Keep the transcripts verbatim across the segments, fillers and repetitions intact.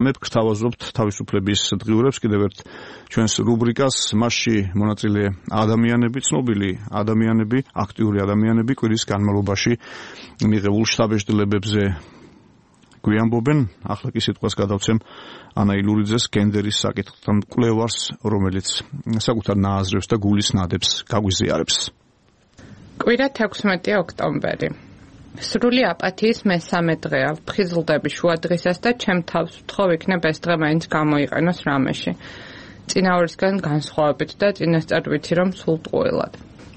მე გთავაზობთ თავისუფლების დღიურებს კიდევ ერთ ჩვენს რუბრიკას, მასში მონაწილე ადამიანები, ცნობილი ადამიანები, აქტიური ადამიანები კვირის განმავლობაში მიღებულ შთაბეჭდილებებზე გვიამბობენ. ახლა კი სიტყვას გადავცემ ანა ილურიძეს, გენდერის საკითხთან მკვლევარს, რომელიც საკუთარ ნააზრევს და გულის ნადებს გაგვიზიარებს. კვირა თექვსმეტი ოქტომბერი. სრული აპათიის მესამე დღეა. ვფხიზლდები შუა დღისას და ჩემ თავს ვთხოვ იქნებ ეს დღე მაინც გამოიყენოს რამეში. წინა ორისგან განსხვავებით და წინასწარ ვიცი რომ სულ ტყუილად.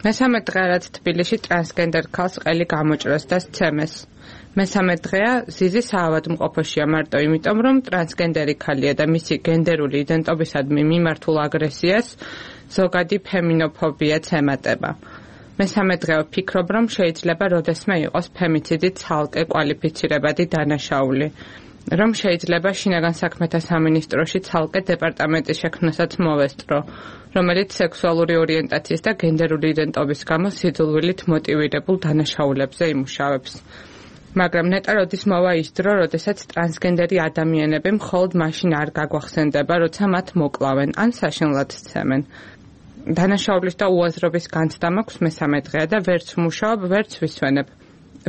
მესამე დღე რაც თბილისში ტრანსგენდერ ქალს ყელი გამოჭრეს და სცემეს. მესამე დღეა ზიზი საავადმყოფოშია მარტო იმიტომ რომ ტრანსგენდერი ქალია და მისი გენდერული იდენტობისადმი მიმართულ აგრესიას ზოგადი ფემინოფობიაც ემატება. მესამე დღე ვფიქრობ რომ შეიძლება როდესმე იყოს ფემიციდით ცალკე კვალიფიცირებადი დანაშაული. რომ შეიძლება შინაგან საქმეთა სამინისტროში ცალკე დეპარტამენტის შექმნასაც მოვესწრო, რომელიც სექსუალური ორიენტაციის და გენდერული იდენტობის გამო სიძულვილით მოტივირებულ დანაშაულებზე იმუშავებს. მაგრამ ნეტა როდის მოვა ის დრო, როდესაც ტრანსგენდერი ადამიანები მხოლოდ მაშინ არ გაგვახსენდება, როცა მათ მოკლავენ ან საშინლად სცემენ. დანაშაულის და უაზრობის განცდა მაქვს მესამე დღეა და ვერც ვმუშაობ, ვერც ვისვენებ.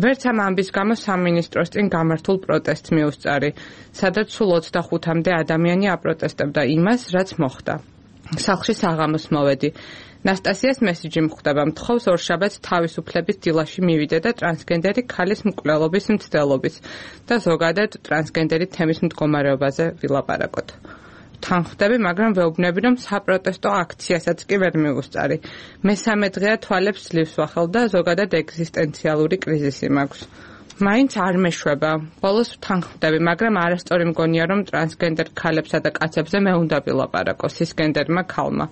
ვერც ამ ამბის გამო სამინისტროს წინ გამართულ პროტესტს მიუსწარი, სადაც სულ ოცდახუთამდე ადამიანი აპროტესტებდა იმას, რაც მოხდა. სახლში საღამოს მოვედი. ნასტასიას მესიჯი მხვდება, მთხოვს ორშაბათს თავისუფლების დილაში მივიდე და ტრანსგენდერი ქალის მკვლელობის მცდელობის და ზოგადად ტრანსგენდერი თემის მდგომარეობაზე ვილაპარაკოთ. თან ხვდები, მაგრამ ვეუბნები, რომ საპროტესტო აქციასაც კი ვერ მივუსწარი. მესამე დღეა თვალებს ძლივს ვახელ და ზოგადად ეგზისტენციალური კრიზისი მაქვს. მაინც არ მეშვება. ბოლოს თან ხვდები, მაგრამ არასწორი მგონია, რომ ტრანსგენდერ ქალებსა და კაცებზე მე უნდა ვილაპარაკო სისგენდერმა ქალმა.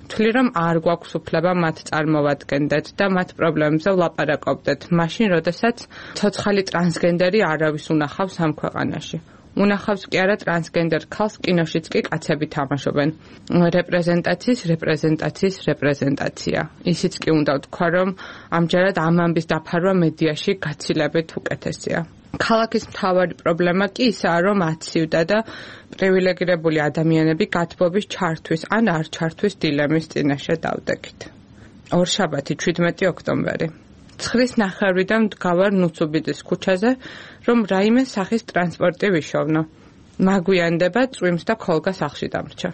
ვთვლი, რომ არ გვაქვს უფლება მათ წარმოვადგენდეთ და მათ პრობლემებზე ვლაპარაკობდეთ, მაშინ, როდესაც ცოცხალი ტრანსგენდერი არავის უნახავს ამ ქვეყანაში. უნახავს კი არა ტრანსგენდერ ქალს კინოშიც კი კაცები თამაშობენ. რეპრეზენტაციის, რეპრეზენტაციის, რეპრეზენტაცია. ისიც კი უნდა ვთქვა, რომ ამჯერად ამ ამბის დაფარვა მედიაში გაცილებით უკეთესია. ქალაქის მთავარი პრობლემა კი ისაა, რომ აცივდა და პრივილეგირებული ადამიანები გათბობის ჩართვის ან არ ჩართვის დილემის წინაშე დავდექით. ორშაბათი ჩვიდმეტი ოქტომბერი. ცხრის ნახევრიდან ვდგავარ ნუცუბიძის ქუჩაზე, რომ რაიმე სახის ტრანსპორტი ვიშოვნო. მაგვიანდება წვიმს და ქოლგა სახლში დამრჩა.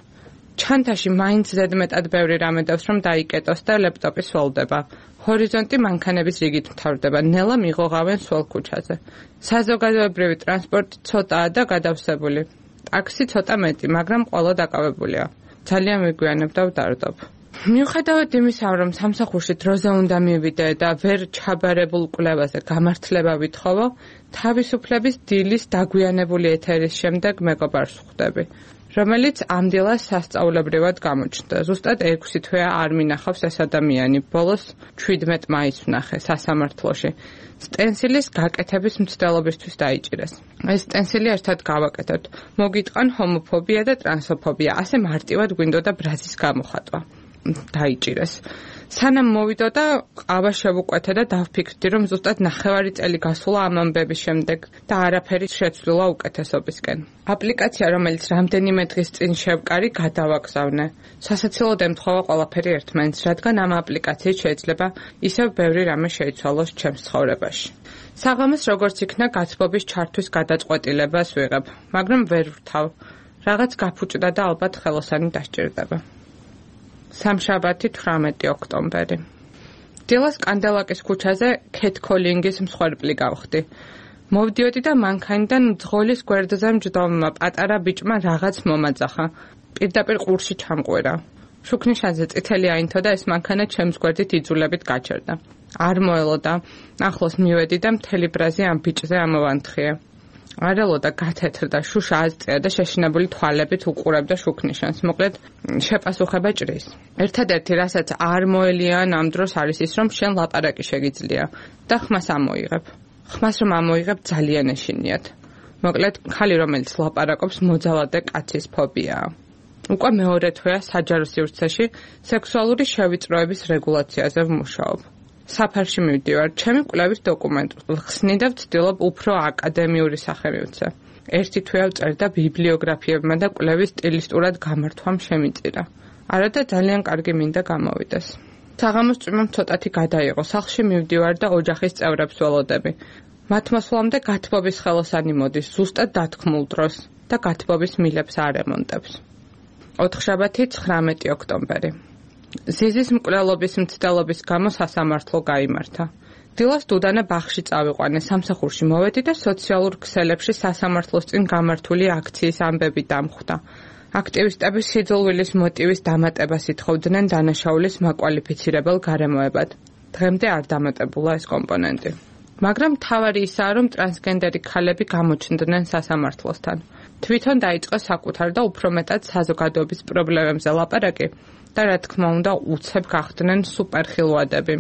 ჩანთაში მაინც ზედმეტად ბევრი რამე დავს, რომ დაიკეტოს და ლეპტოპი სვოლდება. ჰორიზონტი მანქანების რიგით მთავრდება, ნელა მიღოღავენ სველ ქუჩაზე. საზოგადოებრივი ტრანსპორტი ცოტაა და გადავსებული. ტაქსი ცოტა მეტი, მაგრამ ყველა დაკავებულია. ძალიან მიგვიანებ და ვდარდობ. მიუხედავად იმისა, რომ სამსახურში დროზე უნდა მივიდე და ვერ ჩაბარებულ კვლევაზე გამართლება ვითხოვო, თავისუფლების დილის დაგვიანებული ეთერის შემდეგ მეგობარს ხვდები, რომელიც ამ დილას სასწაულებრივად გამოჩნდა. ზუსტად ექვსი თვეა არ მინახავს ეს ადამიანი. ბოლოს ჩვიდმეტ მაისს ვნახე სასამართლოში. სტენსილის გაკეთების მცდელობისთვის დაიჭირეს. ეს სტენსილი ერთად გავაკეთოთ. მოგიტყან ჰომოფობია და ტრანსოფობია. ასე მარტივად გვინდოდა ბრაზის გამოხატვა. დაიჭირეს. სანამ მოვიდოდა, ყავა შევუკვეთე და დავფიქრდი, რომ ზუსტად ნახევარი წელი გასულა ამ ამბების შემდეგ და არაფერი შეცვლილა უკეთესობისკენ. აპლიკაცია, რომელიც რამდენიმე დღის წინ შევკარი, გადავაგზავნე. სასაცილოდ ემთხვევა ყველაფერი ერთმანეთს, რადგან ამ აპლიკაციით შეიძლება ისევ ბევრი რამე შეიცვალოს ჩემს ცხოვრებაში. საღამოს როგორც იქნა გათბობის ჩართვის გადაწყვეტილებას ვიღებ, მაგრამ ვერ ვრთავ. რაღაც გაფუჭდა და ალბათ ხელოსანი დასჭირდება. სამშაბათი თვრამეტი ოქტომბერი. დილას კანდელაკის ქუჩაზე ქეთ კოლინგის მსხვერპლი გავხდი. მოვდიოდი და მანქანიდან ძღოლის გვერდზე მჯდომმა პატარა ბიჭმა რაღაც მომაძახა. პირდაპირ ყურში ჩამყვირა. შუქნიშანზე წითელი აინთო და ეს მანქანა ჩემს გვერდით იძულებით გაჩერდა. არ მოელოდა. ახლოს მივედი და მთელი ბრაზი ამ ბიჭზე ამოვანთხია. არ ელოდა, გათეთრდა, შუშა აზწია და შეშინებული თვალებით უყურებდა შუქნიშანს. მოკლედ, შეპასუხება ჭრის. ერთადერთი, რასაც არ მოელიან ამ დროს არის ის, რომ შენ ლაპარაკი შეგიძლია და ხმას ამოიღებ. ხმას რომ ამოიღებ, ძალიან ეშინიათ. მოკლედ, ხალი რომელიც ლაპარაკობს, მოძალადე კაცის ფობიაა. უკვე მეორე თვეა საჯარო სივრცეში სექსუალური შევიწროების რეგულაციაზე ვმუშაობ. საფარში მივდივარ, ჩემი კვლევის დოკუმენტს ვხსნი და ვცდილობ უფრო აკადემიური სახე მივცე. ერთი თვე ავწერდა ბიბლიოგრაფიებმა და კვლევის სტილისტურად გამართვამ შემიწირა. არა და ძალიან კარგი მინდა გამოვიდეს. საღამოს წვიმამ ცოტათი გადაიღო, სახლში მივდივარ და ოჯახის წევრებს ველოდები. მათ მოსვლამდე გათბობის ხელოსანი მოდის, ზუსტად დათქმულ დროს და გათბობის მილებს არ ემონტებს. ოთხშაბათი ცხრამეტი ოქტომბერი. ზიზის მკვლელობის მცდელობის გამო სასამართლო გაიმართა. დილას დუდანა ბაღში წავიყვანე, სამსახურში მოვედი და სოციალურ ქსელებში სასამართლოს წინ გამართული აქციის ამბები დამხვდა. აქტივისტები სიძულვილის მოტივის დამატებას ითხოვდნენ დანაშაულის მაკვალიფიცირებელ გარემოებად. დღემდე არ დამატებულა ეს კომპონენტი. მაგრამ მთავარი ისაა, რომ ტრანსგენდერი ქალები გამოჩნდნენ სასამართლოსთან. თვითონ დაიწყო საკუთარ და უფრო მეტად საზოგადოების პრობლემებზე ლაპარაკი და რა თქმა უნდა უცებ გახდნენ სუპერხილვადები.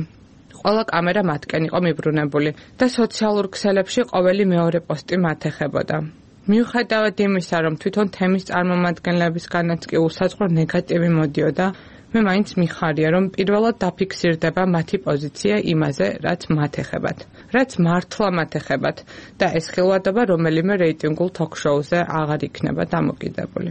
ყველა კამერა მათკენ იყო მიბრუნებული და სოციალურ ქსელებში ყოველი მეორე პოსტი მათ ეხებოდა. მიუხედავად იმისა, რომ თვითონ თემის წარმომადგენლებისგანაც კი უსაწყრო ნეგატივი მოდიოდა, მე მაინც მიხარია, რომ პირველად დაფიქსირდება მათი პოზიცია იმაზე, რაც მათ ეხებათ, რაც მართლა მათ ეხებათ და ეს ხილვადობა რომელიმე რეიტინგულ თოქ-შოუზე აღარ იქნება დამოკიდებული.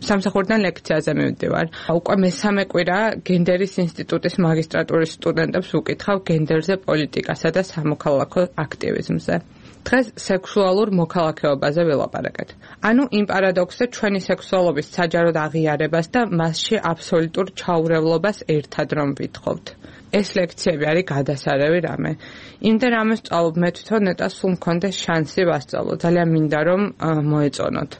სამსახურიდან ლექციაზე მივდივარ. უკვე მესამე კვირაა გენდერის ინსტიტუტის მაგისტრატურის სტუდენტებს ვუკითხავ გენდერზე, პოლიტიკასა და სამოქალაქო აქტივიზმზე. დღეს სექსუალურ მოქალაქეობაზე ველაპარაკეთ. ანუ იმ პარადოქსზე ჩვენი სექსუალობის საჯაროდ აღიარებას და მასში აბსოლუტურ ჩაურევლობას ერთად რომ ვითხოვთ. ეს ლექციები არის გადასარევი რამე. იმდენ რამეს სწავლობ მე თვითონ ნეტა სულ მქონდეს შანსი ვასწავლო. ძალიან მინდა რომ მოეწონოთ.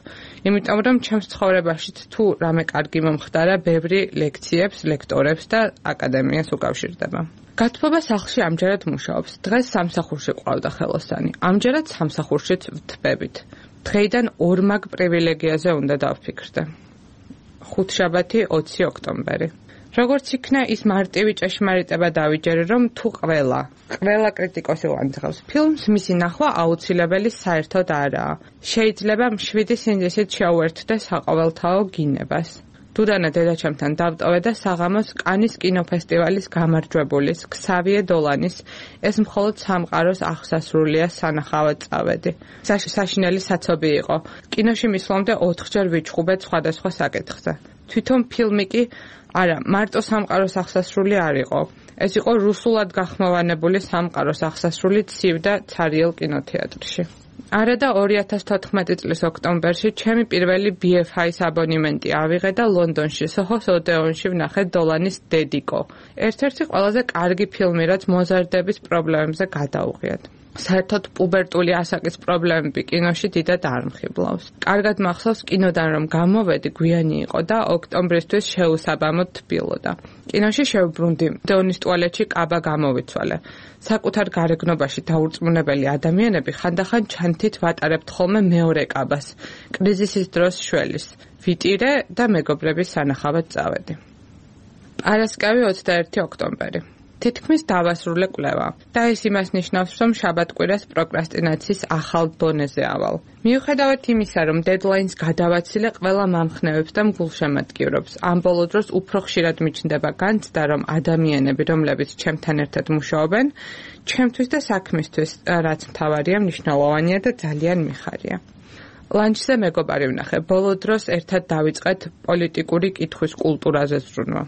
იმიტომ რომ ჩემს ცხოვრებაშიც თუ რამე კარგი მომხდარა, ბევრი ლექციებს, ლექტორებს და აკადემიას უკავშირდება. გათბობა სახლში ამჯერად მუშაობს. დღეს სამსახურში ყავდა ხელოსანი. ამჯერად სამსახურშიც ვთბებით. დღეიდან ორმაგ პრივილეგიაზე უნდა დავფიქრდე. ხუთშაბათი ოცი ოქტომბერი. როგორც იქნა ის მარტივი ჭეშმარიტება დავიჯერე, რომ თუ ყველა, ყველა კრიტიკოსი ვანძღავს ფილმს, მისი ნახვა აუცილებელი საერთოდ არაა. შეიძლება მშვიდი სინდისით შეუერთდე საყოველთაო გინებას. დუდანა დედაჩემთან დავტოვე და საღამოს კანის კინოფესტივალის გამარჯვებულის, ქსავიე დოლანის, ეს მხოლოდ სამყაროს აღსასრულია სანახავად წავედი. საშინელი საცობი იყო. კინოში მისვლამდე ოთხჯერ ვიჩხუბეთ სხვადასხვა საკითხზე. თვითონ ფილმი კი არა, მარტო სამყაროს აღსასრული არ იყო. ეს იყო რუსულად გახმოვანებული სამყაროს აღსასრული ცივ და ცარიელ კინოთეატრში. არა და ორი ათას თოთხმეტი წლის ოქტომბერში ჩემი პირველი ბი ეფ აის აბონემენტი ავიღე და ლონდონში, სოჰოს ოდეონში ვნახე დოლანის დედიკო. ერთ-ერთი ყველაზე კარგი ფილმი, რაც მოზარდების პრობლემებზე გადაუღიათ. საერთოდ პუბერტული ასაკის პრობლემები კინოში დიდად არ მხიბლავს. კარგად მახსოვს კინოდან რომ გამოვედი, გვიანი იყო და ოქტომბრისთვის შეუსაბამოდ თბილოდა. კინოში შევბრუნდი, დეონის ტუალეტში კაბა გამოვიცვალე. საკუთარ გარეგნობაში დაურწმუნებელი ადამიანები ხანდახან ჩანთით ვატარებთ ხოლმე მეორე კაბას, კრიზისის დროს შველის. ვიტირე და მეგობრების სანახავად წავედი. პარასკევი ოცდაერთი ოქტომბერი. თითქმის დავასრულე კვლევა და ეს იმას ნიშნავს, რომ შაბათ-კვირას პროკრასტინაციის ახალ დონეზე ავალ. მიუხედავად იმისა, რომ დედლაინს გადავაცილე, ყველა მამხნევებს და მგულშემატკივრობს. ამ ბოლო დროს უფრო ხშირად მიჩნდება განცდა, რომ ადამიანები, რომლებიც ჩემთან ერთად მუშაობენ, ჩემთვის და საქმისთვის, რაც მთავარია, მნიშვნელოვანია და ძალიან მიხარია. ლანჩზე მეგობარი ვნახე. ბოლო დროს ერთად დავიწყეთ პოლიტიკური კითხვის კულტურაზე ზრუნვა.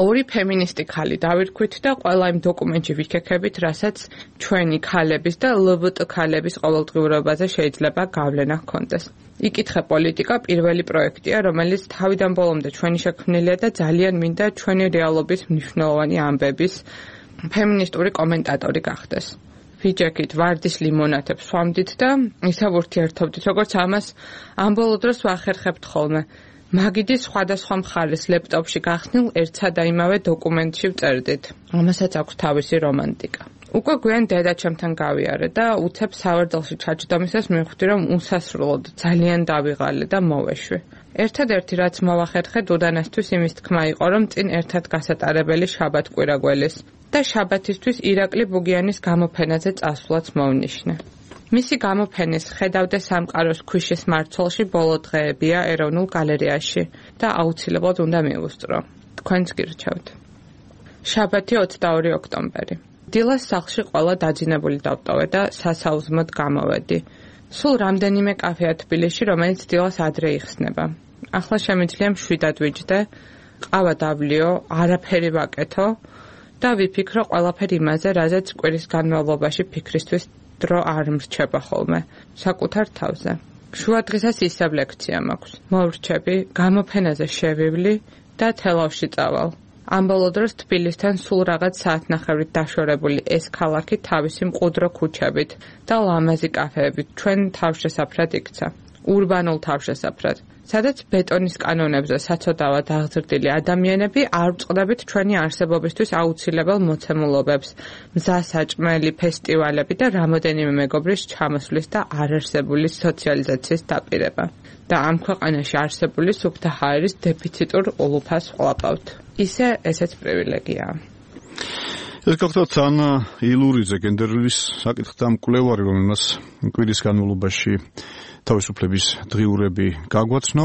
ორი ფემინისტი ხალი დავირქვით და ყველა იმ დოკუმენტში ვიქექებით, რასაც ჩვენი ქალების და ელ ჟი ბი ტი ქალების ყოველდღიურობაზე შეიძლება გავლენა ჰქონდეს. იკითხე პოლიტიკა პირველი პროექტია, რომელიც თავიდან ბოლომდე ჩვენი შექმნილია და ძალიან მინდა ჩვენი რეალობის მნიშვნელოვანი ამბების ფემინისტური კომენტატორი გახდეს. ვიჯექით ვარდის ლიმონათებს ვამდით და ისევ ურთიერთობდით, როგორც ამას ამ ბოლო დროს ვახერხებთ ხოლმე. მაგიდის სხვადასხვა მხარეს ლეპტოპში გახსნილ ერთსა და იმავე დოკუმენტში ვწერდით. ამასაც აქვს თავისი რომანტიკა. უკვე გვიან დედაჩემთან გავიარე და უცებ სავარდელში ჩაჯდომისას მივხვდი, რომ უსასრულოდ ძალიან დავიღალე და მოვეშვი. ერთადერთი რაც მოვახერხე დუდანასთვის იმის თქმა იყო, რომ წინ ერთად გასატარებელი შაბათ-კვირა გველის და შაბათისთვის ირაკლი ბუგიანის გამოფენაზე წასვლაც მოვნიშნე. მისი გამოფენის ხედავდე სამყაროს ქვიშის მარცვალში ბოლო დღეებია ეროვნულ გალერეაში და აუცილებლად უნდა მივუსწრო. თქვენც გირჩევთ. შაბათი ოცდაორი ოქტომბერი. დილას სახლში ყველა დაძინებული დავტოვე და სასაუზმოდ გამოვედი. სულ რამდენიმე კაფეა თბილისში, რომელიც დილას ადრე იხსნება. ახლა შემიძლია მშვიდად ვიჯდე, ყავა დავლიო, არაფერი ვაკეთო და ვიფიქრო ყველაფერი იმაზე, რაზეც კვირის განმავლობაში ფიქრისთვის დრო არ მრჩება ხოლმე, საკუთარ თავზე. შუა დღესაც ისევ ლექცია მაქვს. მოვრჩები, გამოფენაზე შევივლი და თელავში წავალ. ამ ბოლო დროს თბილისთან სულ რაღაც საათნახევრით დაშორებული ეს ქალაქი თავისი მყუდრო ქუჩებით და ლამაზი კაფეებით ჩვენ თავშესაფრად იქცა. ურბანულ თავშესაფრად, სადაც ბეტონის კანონებზე საცოდავად აღზრდილი ადამიანები არ ვწყდებით ჩვენი არსებობისთვის აუცილებელ მოცემულობებს, მზასაჭმელი ფესტივალები და რამოდენიმე მეგობრის ჩამოსვლის და არარსებული სოციალიზაციის დაპირება. და ამ ქვეყანაში არსებული სუფთა ჰაერის დეფიციტურ ულუფას ვყლაპავთ. ისე ესეც პრივილეგიაა. ეს გახლავთ ანა ილურიძე, გენდერლის საკითხთა მკვლევარი, რომელმაც კვირის განმავლობაში თავისუფლების დღიურები გაგვაცნო.